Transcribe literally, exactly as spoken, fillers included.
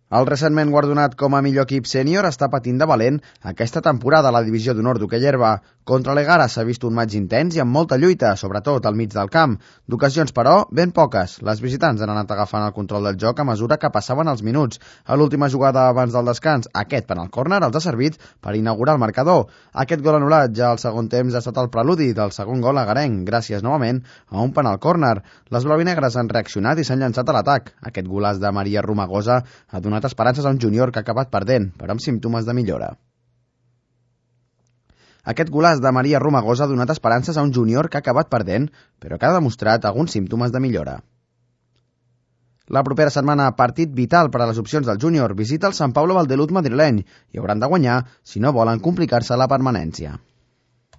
El recentment guardonat com a millor equip sènior està patint de valent aquesta temporada a la divisió d'honor d'hoquei herba. Contra l'Egara s'ha vist un maig intens i amb molta lluita, sobretot al mig del camp. D'ocasions, però, ben poques. Les visitants han anat agafant el control del joc a mesura que passaven els minuts. A l'última jugada abans del descans, aquest penal córner els ha servit per inaugurar el marcador. Aquest gol anul·lat ja al segon temps ha estat el preludi del segon gol agarenc, gràcies novament a un penal córner. Les blavinegres han reaccionat i s'han llançat a l'atac. Aquest golaç de Maria Romagosa ha donat esperances a un júnior que ha acabat perdent, però amb símptomes de millora. Aquest golaç de Maria Romagosa ha donat esperances a un júnior que ha acabat perdent, però que ha demostrat alguns símptomes de millora. La propera setmana, partit vital per a les opcions del júnior, visita el Sant Pablo Valdeluz madrileny i hauran de guanyar si no volen complicar-se la permanència.